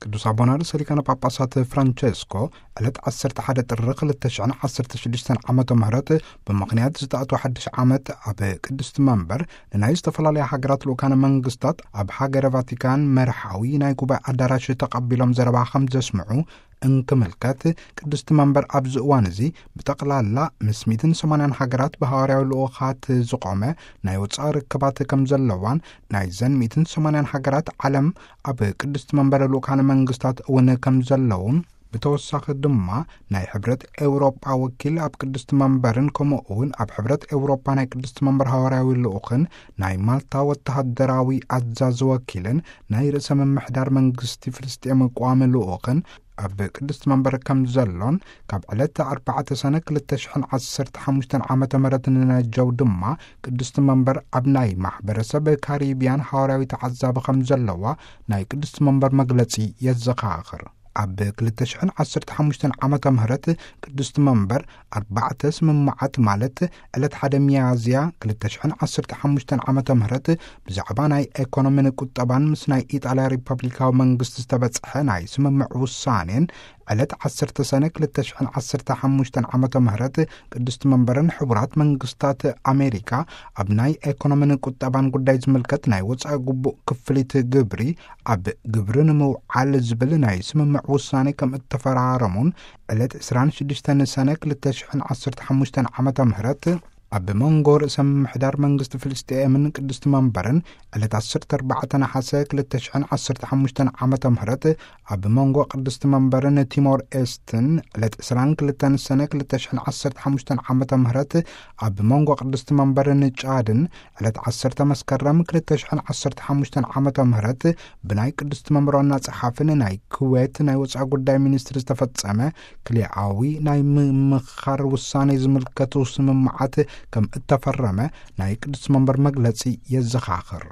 ቅዱስ ኣቦና ርእሰ ሊቃነ ጳጳሳት ፍራንቸስኮ ዕለት ዓሰርተ ሓደ ጥሪ ክልተ ሽሕን ዓሰርተ ሽዱሽተን ዓመተ ምህረት ብምኽንያት ዝተኣትወ ሓድሽ ዓመት ኣብ ቅድስቲ መንበር ንናይ ዝተፈላለያ ሃገራት ልኡካነ መንግስታት ኣብ ሃገረ ቫቲካን መርሓዊ ናይ ጉባኤ ኣዳራሽ ተቐቢሎም ዘረባ ከም ዘስምዑ እንክምልከት፣ ቅድስቲ መንበር ኣብዚ እዋን እዚ ብጠቕላላ ምስ ሚእትን ሰማንያን ሃገራት ብሃዋርያዊ ልኡኻት ዝቖመ ናይ ወጻኢ ርክባት ከም ዘለዋን፣ ናይዘን ሚእትን ሰማንያን ሃገራት ዓለም ኣብ ቅድስቲ መንበር ልኡካነ መንግስታት እውን ከም ዘለውን፣ ብተወሳኺ ድማ ናይ ሕብረት ኤውሮጳ ወኪል ኣብ ቅድስቲ መንበርን ከምኡ እውን ኣብ ሕብረት ኤውሮጳ ናይ ቅድስቲ መንበር ሃዋርያዊ ልኡኽን ናይ ማልታ ወተሃደራዊ ኣዛዚ ወኪልን ናይ ርእሰ ምምሕዳር መንግስቲ ፍልስጤም ቋሚ ልኡኽን ኣብ ቅድስቲ መንበር ከም ዘሎን፣ ካብ ዕለት ኣርባዕተ ሰነ ክልተ ሽሕን ዓሰርተ ሓሙሽተን ዓመተ ምህረት ንነጀው ድማ ቅድስቲ መንበር ኣብ ናይ ማሕበረሰብ ካሪብያን ሃዋርያዊ ተዓዛቢ ከም ዘለዋ ናይ ቅድስቲ መንበር መግለጺ የዘኻኽር። ኣብ ክልተ ሽሕን ዓሰርተ ሓሙሽተን ዓመተ ምህረት ቅድስቲ መንበር ኣርባዕተ ስምምዓት፣ ማለት ዕለት ሓደ ሚያዝያ ክልተ ሽሕን ዓሰርተ ሓሙሽተን ዓመተ ምህረት ብዛዕባ ናይ ኤኮኖሚን ቁጠባን ምስ ናይ ኢጣልያ ሪፐብሊካዊ መንግስቲ ዝተበጽሐ ናይ ስምምዕ ውሳኔን፣ ዕለት ዓሰርተ ሰነ ክልተ ሽሕን ዓሰርተ ሓሙሽተን ዓመተ ምህረት ቅድስቲ መንበርን ሕቡራት መንግስታት ኣሜሪካ ኣብ ናይ ኤኮኖሚን ቁጠባን ጉዳይ ዝምልከት ናይ ወጻኢ ግቡእ ክፍሊት ግብሪ ኣብ ግብሪ ንምውዓል ዝብል ናይ ስምምዕ ውሳኔ ከም እተፈራረሙን፣ ዕለት ዕስራን ሽዱሽተን ሰነ ክልተ ሽሕን ዓሰርተ ሓሙሽተን ዓመተ ምህረት ኣብ መንጎ ርእሰ ምምሕዳር መንግስቲ ፍልስጤምን ቅድስቲ መንበርን፣ ዕለት ዓሰርተ ኣርባዕተ ነሓሰ ክልተ ሽሕን ዓሰርተ ሓሙሽተን ዓመተ ምህረት ኣብ መንጎ ቅድስቲ መንበርን ቲሞር ኤስትን፣ ዕለት ዕስራን ክልተን ሰነ ክልተ ሽሕን ዓሰርተ ሓሙሽተን ዓመተ ምህረት ኣብ መንጎ ቅድስቲ መንበርን ጫድን፣ ዕለት ዓሰርተ መስከረም ክልተ ሽሕን ዓሰርተ ሓሙሽተን ዓመተ ምህረት ብናይ ቅድስቲ መንበር ዋና ጸሓፍን ናይ ኩዌት ናይ ወጻኢ ጉዳይ ሚኒስትሪ ዝተፈጸመ ክልኣዊ ናይ ምምኻር ውሳኔ ዝምልከቱ ስምምዓት ከም እተፈረመ ናይ ቅድስቲ መንበር መግለጺ የዘኻኽር።